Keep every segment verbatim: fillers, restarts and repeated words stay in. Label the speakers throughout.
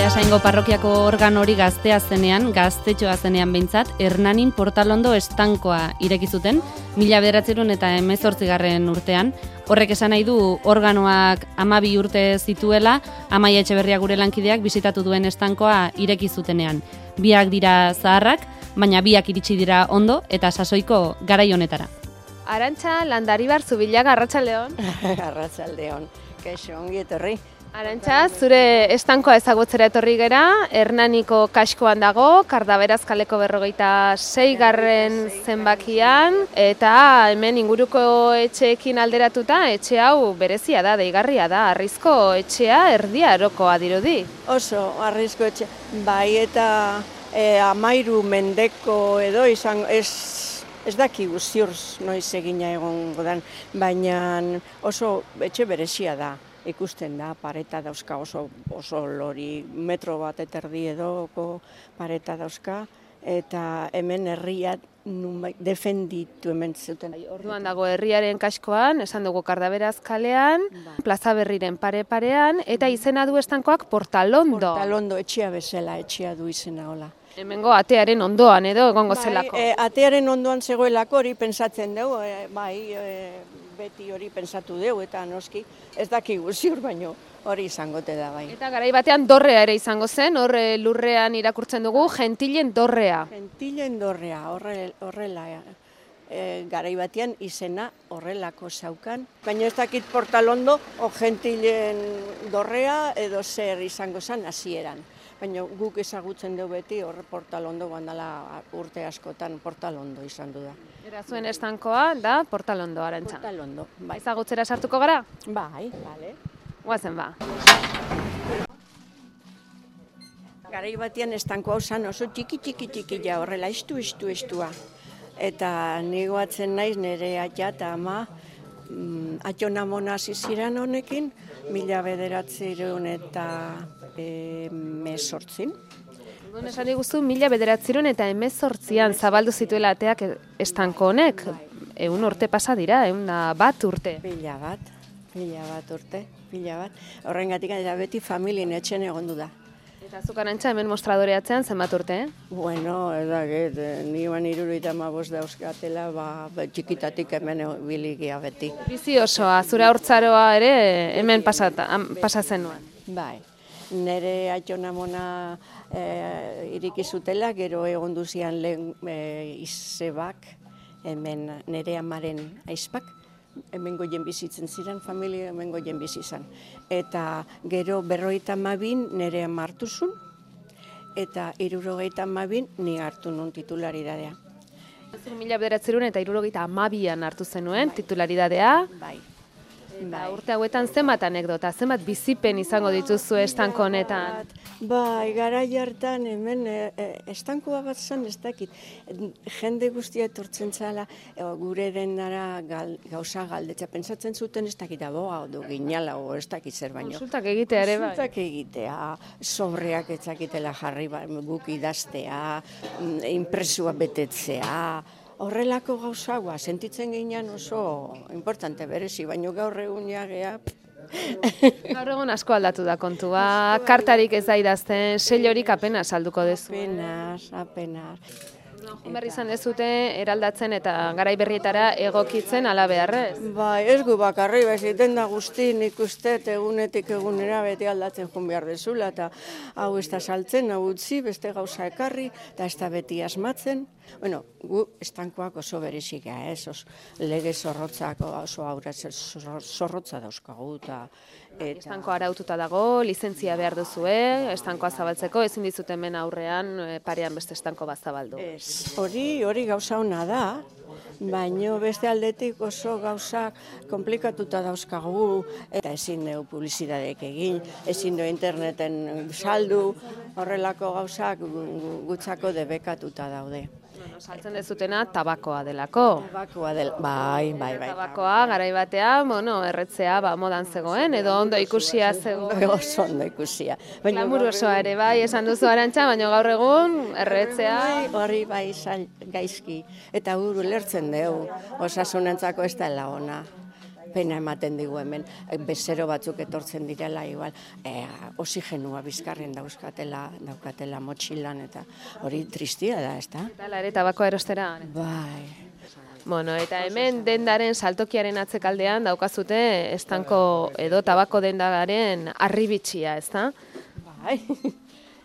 Speaker 1: Beasaingo parrokiako organo hori gaztea zenean, gaztetxoa zenean behintzat, Hernanin Portalondo estankoa ireki zuten, mila bederatziehun eta hemezortzigarren urtean. Horrek esan nahi du organoak hamabi urte zituela, Amaia Etxeberria gure lankideak bisitatu duen estankoa ireki zutenean. Biak dira zaharrak, baina biak iritsi dira ondo eta sasoiko garai honetara.
Speaker 2: Arantxa Landaribar Zubillaga, arratsaldeon.
Speaker 3: Arratsaldeon, kaixo ongi etorri.
Speaker 2: Arantxa, zure estankoa ezagutzera etorri gera, Hernaniko kaskoan dago, Kardaberaz kaleko berrogeita seigarren zenbakian, eta hemen inguruko etxeekin alderatuta, etxe hau berezia da, deigarria da, Harrizko etxea Erdi Arokoa dirudi.
Speaker 3: Oso, Harrizko etxea, bai eta e, amairu mendeko edo izan, ez, ez dakigu ziur noiz egina egongo dan, baina oso etxe berezia da. Ikusten da, pareta dauzka oso, oso lori, metro bat eta erdi edoko pareta dauzka, eta hemen herria defenditu hemen zuten.
Speaker 2: Orduan dago herriaren kaskoan, esan dugu Kardaberaz kalean, Plaza Berriren pare-parean, eta izena du estankoak Portalondo.
Speaker 3: Portalondo, etxea bezala, etxea du izena hola.
Speaker 2: Hemengo atearen ondoan edo egongo zelako.
Speaker 3: Bai, e, atearen ondoan zegoelako hori pentsatzen dugu, e, bai, e, beti hori pentsatu dugu eta noski ez dakigu ziur baino hori izangote da bai.
Speaker 2: Eta garai batean dorrea ere izango zen, hor lurrean irakurtzen dugu Gentilen dorrea.
Speaker 3: Gentilen dorrea, horre, horrela e, garai batean izena horrelako zaukan. Baina ez dakit Portalondo o Gentilen dorrea edo zer izango zen hasieran. Baina guk ezagutzen dugu beti hor Portalondo bandala urte askotan Portalondo izan du da.
Speaker 2: Era zuen estankoa da Portalondo, Arantxa.
Speaker 3: Portalondo, bai.
Speaker 2: Ezagutzera sartuko gara?
Speaker 3: Bai, bale.
Speaker 2: Guazen ba.
Speaker 3: Garai batean estanko hau zan oso txiki txiki txiki ja horrela estu estu estua. Eta negoatzen naiz nire aita eta ama mm, atxonamona ziziran honekin, mila bederatziehun eta hemezortzin.
Speaker 2: Egun esan diguzu, mila bederatziehun eta hemezortzian zabaldu zituela ateak estanko honek. Ehun urte pasa dira, ehun bat urte.
Speaker 3: Pila bat, pila bat urte, pila bat. Horrengatik eta beti familien etxen egondu da.
Speaker 2: Eta zuk Arantxa hemen mostradoreatzean zenbat urte, eh?
Speaker 3: Bueno, edaket, ni ban hirurogeita hamabost dauzkatela, ba, txikitatik hemen biligia beti.
Speaker 2: Bizi osoa, zure haurtzaroa ere hemen pasatzen nuen.
Speaker 3: Bai. Nere atxonamona e, iriki zutela, gero egon duzian lehen e, izebak, hemen nere amaren aizpak, hemen goien bizitzen ziren, familia hemen goien bizizan. Eta gero berrogeita hamabin nere ama hartu zuen, eta hirurogeita hamabin ni hartu nun titularidadea.
Speaker 2: Mila bederatziehun eta hirurogeita hamabian hartu zenuen titularidadea.
Speaker 3: Bai.
Speaker 2: Ba, urte hauetan zenbat anekdota, zenbat bizipen izango dituzu estanko honetan?
Speaker 3: Bai, garai hartan hemen e, e, estankoa bat zen ez dakit. Jende guztia etortzen zala, e, gure denara gal, gauza galdetza. Pentsatzen zuten ez dakit aboga du ginala o ez dakit zer baino.
Speaker 2: Konsultak egitea ere bai?
Speaker 3: Konsultak egitea, sobreak etzakitela jarri guk idaztea, impresua betetzea. Horrelako gauzagoa, sentitzen ginean oso importante berezi, baina gaur egun jagea.
Speaker 2: Gaur egun asko aldatu da kontua, kartarik ez da idazten, sellorik apenas salduko dezu.
Speaker 3: Apenas, apenas.
Speaker 2: Berri izan dezute eraldatzen eta garai berrietara egokitzen ala beharrez.
Speaker 3: Bai, ez gu bakarri, beziten da guzti nik uste egunetik egunera beti aldatzen joan behar dezula, eta hau ez da saltzen, hau utzi, beste gauza ekarri, eta ez da beti asmatzen. Bueno, gu estankoak oso berezika, ez, os, lege zorrotzak oso aurra zorrotza dauzkagu, eta
Speaker 2: estankoa araututa dago, lizentzia behar duzue, estankoa zabaltzeko, ezin dizute hemen aurrean parean beste estanko bat zabaldu.
Speaker 3: Ez, hori, hori gauza ona da, baina beste aldetik oso gauza komplikatuta dauzkagu, eta ezin dugu publizitateak egin, ezin dugu interneten saldu, horrelako gauzak gutzako debekatuta daude.
Speaker 2: Saltzen dezutena tabakoa delako.
Speaker 3: Tabakoa del, bai, bai, bai.
Speaker 2: Tabakoa garai batean, bueno, erretzea ba modan zegoen edo ondo ikusia zegoen.
Speaker 3: Oso ondo ikusia.
Speaker 2: Glamur osoa ere bai, esan duzu Arantxa, baina gaur egun erretzea
Speaker 3: hori bai gaizki eta uru lertzen dugu. Osasunentzako ez dela ona. pena ematen digu hemen, bezero batzuk etortzen direla, igual, e, oxigenua bizkarren dauzkatela, daukatela motxilan, eta hori tristia da, ez da?
Speaker 2: Eta lare tabakoa erostera.
Speaker 3: Bai.
Speaker 2: Bueno, eta hemen dendaren saltokiaren atzekaldean daukazute estanko edo tabako dendaren arribitxia, ez da?
Speaker 3: Bai.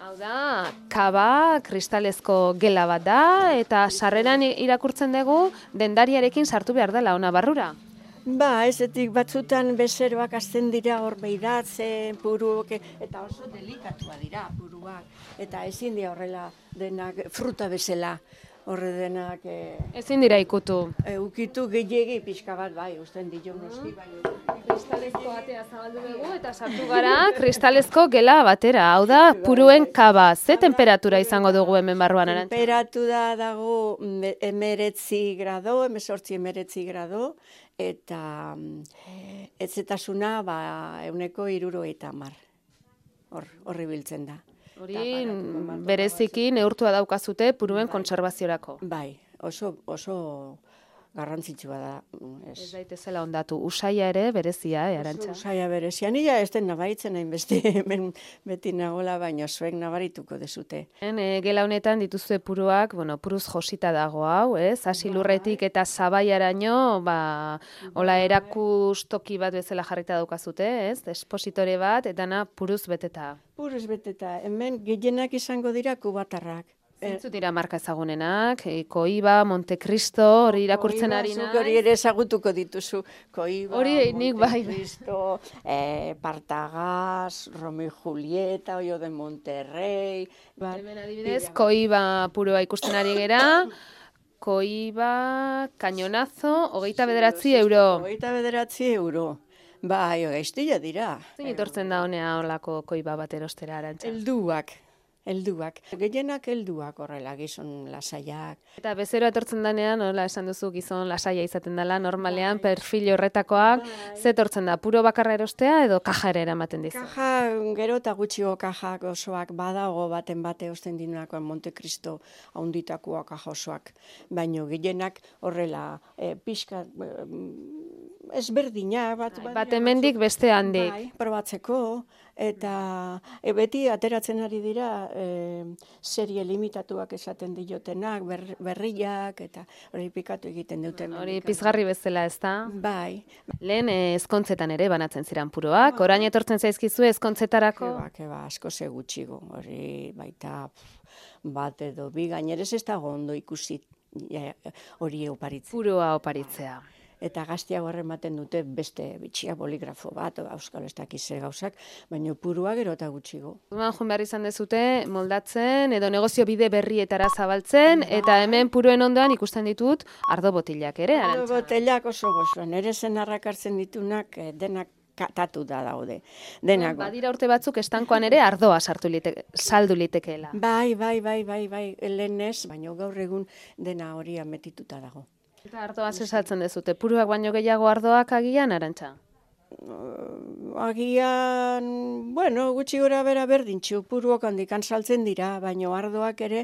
Speaker 2: Hau da, kaba kristalezko gela bat da, eta sarreran irakurtzen dugu dendariarekin sartu behar dela ona barrura.
Speaker 3: Ba, ezetik batzutan bezeroak azten dira hor beiratzen, puruak, eta oso delikatua dira puruak, eta ezin dira horrela denak fruta bezala. Horre denak... E,
Speaker 2: Ezin dira ikutu.
Speaker 3: E, ukitu gehiegi pixka bat, bai, usten dio noski, bai.
Speaker 2: Kristalezko batea zabaldu dugu eta sartu gara kristalezko gela batera. Hau da, puruen kaba. Ze temperatura izango dugu hemen barruan, Arantxa?
Speaker 3: Temperatura dago emeretzi grado, emezortzi emeretzi grado, eta etzetasuna ba, euneko iruro eta mar. Hor, horri biltzen da.
Speaker 2: Hori bereziki neurtua daukazute puruen kontserbaziorako.
Speaker 3: Bai, oso, oso garrantzitsua da.
Speaker 2: Ez, ez daitezela ondatu. Usaia ere berezia, eh, Arantxa?
Speaker 3: Usaia berezia. Nila ez den nabaritzen hain beste hemen beti nagola, baina zuek nabarituko dezute.
Speaker 2: En, e, gela honetan dituzue puruak, bueno, puruz josita dago hau, ez? Hasi lurretik eta zabaiaraino, ba, hola erakustoki bat bezala jarrita daukazute, ez? Espositore bat, eta na puruz beteta.
Speaker 3: Puruz beteta. Hemen gehienak izango dira kubatarrak.
Speaker 2: Zintzu dira marka ezagunenak, e, Koiba, Montecristo, hori irakurtzen ari nahi.
Speaker 3: Hori ere ezagutuko dituzu. Koiba,
Speaker 2: hori nik bai.
Speaker 3: Montecristo, eh, Partagaz, Romeo y Julieta, Oio de Monterrey. Ba,
Speaker 2: hemen adibidez, Koiba purua ikusten ari gera, Koiba, Cañonazo, hogeita bederatzi euro.
Speaker 3: Hogeita bederatzi euro. Bai, gaiztila dira.
Speaker 2: Zein etortzen da honea holako Koiba bat erostera, Arantxa?
Speaker 3: Helduak. Helduak. Gehienak helduak horrela, gizon lasaiak.
Speaker 2: Eta bezero etortzen danean, nola esan duzu gizon lasaia izaten dela, normalean, bai. Perfil horretakoak, bai. Ze etortzen da, puro bakarra erostea edo kaja ere eramaten dizu?
Speaker 3: Kaja, gero eta gutxiko kajak osoak badago baten bate osten dinuakoan Montecristo haunditakoak kaja osoak. Baina gehienak horrela, e, pixka, e, ezberdina. Bat,
Speaker 2: bai, bat hemendik beste handik.
Speaker 3: Bai, probatzeko, eta e, beti ateratzen ari dira e, serie limitatuak esaten diotenak, ber, berriak, eta hori pikatu egiten duten.
Speaker 2: Hori pizgarri bezala, ez da?
Speaker 3: Bai.
Speaker 2: Lehen ezkontzetan ere banatzen ziren puroak, orain etortzen zaizkizu ezkontzetarako?
Speaker 3: Keba, keba, asko ze gutxigo, hori baita bat edo bi, gainerez ez dago ondo ikusi hori oparitzea.
Speaker 2: Puroa oparitzea.
Speaker 3: Eta gaztiago ematen dute beste bitxia boligrafo bat, euskal ez dakize gauzak, baina purua gero eta gutxigo.
Speaker 2: Duan joan behar izan dezute moldatzen edo negozio bide berrietara zabaltzen, eta hemen puruen ondoan ikusten ditut ardo botilak ere, Arantxa?
Speaker 3: Ardo botilak oso gozoan, ere zenarrak hartzen ditunak denak katatu da daude. Denak.
Speaker 2: Badira urte batzuk estankoan ere ardoa sartu liteke, saldu litekeela.
Speaker 3: Bai, bai, bai, bai, bai, lehenez, baina gaur egun dena hori ametituta dago.
Speaker 2: Eta ardoa zesaltzen dezute, puruak baino gehiago ardoak agian, Arantxa?
Speaker 3: Agian, bueno, gutxi gora bera berdintxu, puruak handikan saltzen dira, baina ardoak ere,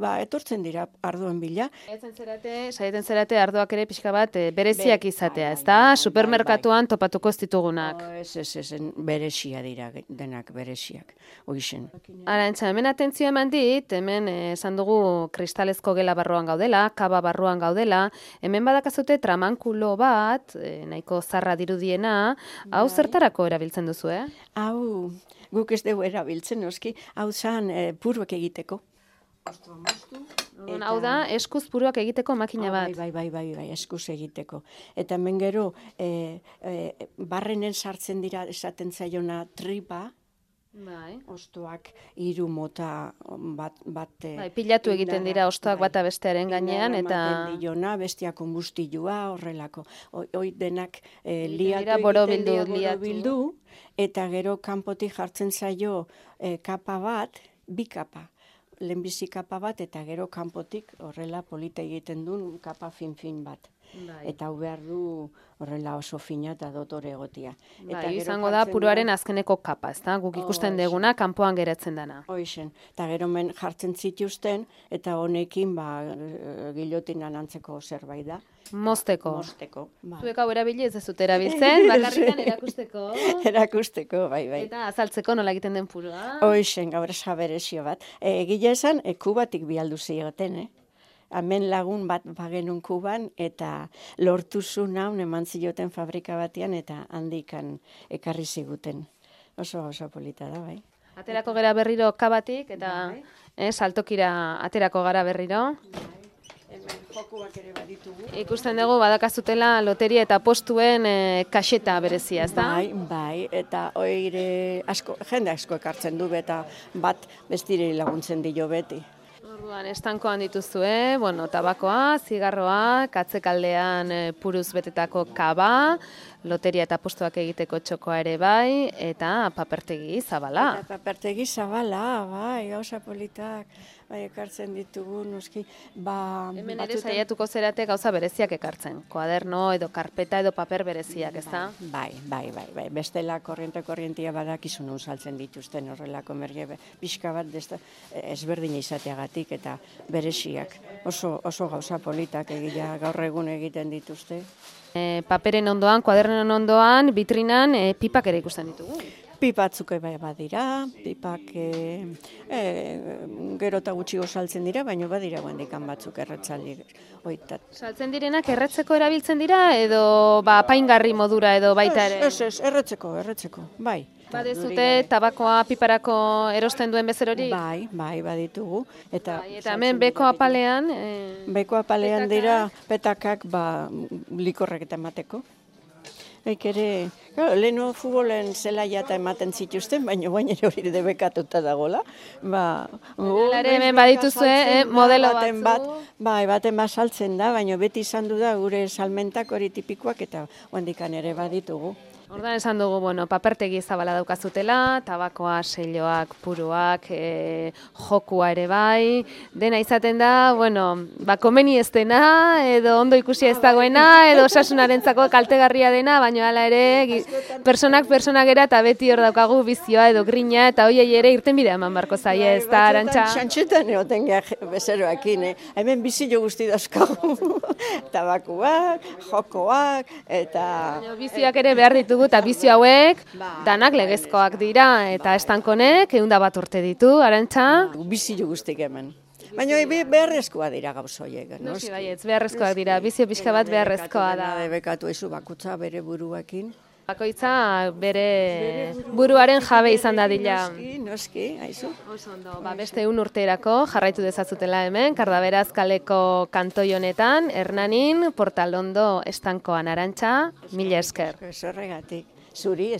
Speaker 3: ba, etortzen dira ardoen bila.
Speaker 2: Saiatzen zerate, saiatzen zerate ardoak ere pixka bat bereziak izatea, ez da? Supermerkatuan topatuko ez ditugunak.
Speaker 3: Ez, ez, ez, beresia dira, denak bereziak, hoixen.
Speaker 2: Arantxa, hemen atentzio eman dit, hemen esan dugu kristalezko gela barruan gaudela, kaba barruan gaudela, hemen badakazute tramankulo bat, nahiko zarra dirudiena, hau zertarako erabiltzen duzu, eh?
Speaker 3: Hau, guk ez dugu erabiltzen, oski, hau zan e, puruak egiteko.
Speaker 2: Eta... Hau da, eskuz puruak egiteko makina bat.
Speaker 3: Bai, bai, bai, bai, eskuz egiteko. Eta hemen gero, e, e, barrenen sartzen dira esaten zaiona tripa,
Speaker 2: bai.
Speaker 3: Ostoak hiru mota bat, bat
Speaker 2: bai, pilatu egiten dira ostoak
Speaker 3: bai,
Speaker 2: bata bestearen gainean, eta...
Speaker 3: Diona, bestia konbustilua, horrelako. Hoi denak e,
Speaker 2: liatu egiten dira borobildu,
Speaker 3: eta gero kanpotik jartzen zaio e, kapa bat, bi kapa. Lehenbizi kapa bat, eta gero kanpotik horrela polita egiten duen kapa fin-fin bat. Eta hau behar du horrela oso fina eta dotore egotia.
Speaker 2: Bai, izango da puruaren azkeneko kapa, ez da? Guk ikusten deguna kanpoan geratzen dana.
Speaker 3: Hoixen, eta gero men jartzen zituzten, eta honekin ba, gilotinan antzeko zerbait da.
Speaker 2: Mozteko.
Speaker 3: Mozteko. Ba.
Speaker 2: Zuek hau erabili ez dezut erabiltzen, bakarrikan erakusteko.
Speaker 3: Erakusteko, bai, bai.
Speaker 2: Eta azaltzeko nola egiten den purua.
Speaker 3: Hoixen, gaur jaberezio bat. Egile esan, e, kubatik bialdu zioten, eh? Hemen lagun bat bagenun Kuban, eta lortu zuen hau eman zioten fabrika batean, eta handikan ekarri ziguten. Oso oso polita da, bai.
Speaker 2: Aterako gara berriro kabatik, eta eh, saltokira aterako gara berriro.
Speaker 3: Hemen jokuak ere baditugu.
Speaker 2: Ikusten dugu badakazutela loteria eta postuen eh, kaseta berezia, ez da?
Speaker 3: Bai, bai, eta oire asko, jende asko ekartzen du, eta bat bestire laguntzen dio beti.
Speaker 2: Orduan, estankoan dituzue, bueno, tabakoa, zigarroa, katzekaldean e, puruz betetako kaba, loteria eta postuak egiteko txokoa ere bai, eta papertegi zabala.
Speaker 3: Eta papertegi zabala, bai, gauza politak, bai, ekartzen ditugu, noski, ba...
Speaker 2: Hemen ere saiatuko zerate gauza bereziak ekartzen, koaderno edo karpeta edo paper bereziak, ez da?
Speaker 3: Bai, bai, bai, bai, bestela korriente-korrientia badakizu nun saltzen dituzten horrelako merge, pixka bat ezberdina izateagatik eta bereziak. Oso, oso gauza politak egia gaur egun egiten dituzte.
Speaker 2: E, paperen ondoan, koadernen ondoan, vitrinan e, pipak ere ikusten ditugu.
Speaker 3: Pipatzuk bai badira, pipak e, e, gero eta gutxi saltzen dira, baina badira guendikan batzuk erretzaldi oitat.
Speaker 2: Saltzen direnak erretzeko erabiltzen dira edo ba, apaingarri modura edo baita ere?
Speaker 3: Ez, ez, erretzeko, erretzeko, bai.
Speaker 2: Badezute tabakoa piparako erosten duen bezerori?
Speaker 3: Bai, bai, baditugu. Eta,
Speaker 2: bai, eta hemen beko apalean? E,
Speaker 3: beko apalean petakak? Dira petakak ba, likorrek eta emateko. Eik ere, claro, leheno futbolen zelaia eta ematen zituzten, baina baina ere hori debekatuta dagoela. Ba,
Speaker 2: Lare hemen badituzue, eh, modelo batzu.
Speaker 3: Bat, bai, baten bat saltzen da, baina beti izan du da gure salmentak hori tipikoak eta handikan ere baditugu.
Speaker 2: Ordan esan dugu, bueno, papertegi zabala daukazutela, tabakoa, selloak, puruak, e, jokua ere bai, dena izaten da, bueno, ba, komeni ez dena, edo ondo ikusi ez dagoena, edo osasunarentzako kaltegarria dena, baina hala ere, personak personak era eta beti hor daukagu bizioa edo grina, eta hoiei ere irten bidea eman barko zaie, ez da, Arantxa?
Speaker 3: Xantxetan egoten geha bezeroakin, eh? Hemen bizio guzti dauzkagu, tabakoak, jokoak, eta...
Speaker 2: Bizioak ere behar ditugu, eta bizio hauek danak legezkoak dira, eta estankonek ehunda bat urte ditu, Arantxa?
Speaker 3: Bizio guztik hemen. Baina beharrezkoa dira gauzoiek.
Speaker 2: Noski baietz, beharrezkoak dira, bizio pixka bat beharrezkoa da.
Speaker 3: Debekatu ezu bakutza bere buruakin.
Speaker 2: Bakoitza bere buruaren jabe izan dadila.
Speaker 3: Noski, noski, haizu.
Speaker 2: Oso ondo, ba, beste un urterako jarraitu dezazutela hemen, Kardaberaz kaleko kantoi honetan, Hernanin, Portalondo estankoan, Arantxa, mila esker.
Speaker 3: Zorregatik, zuri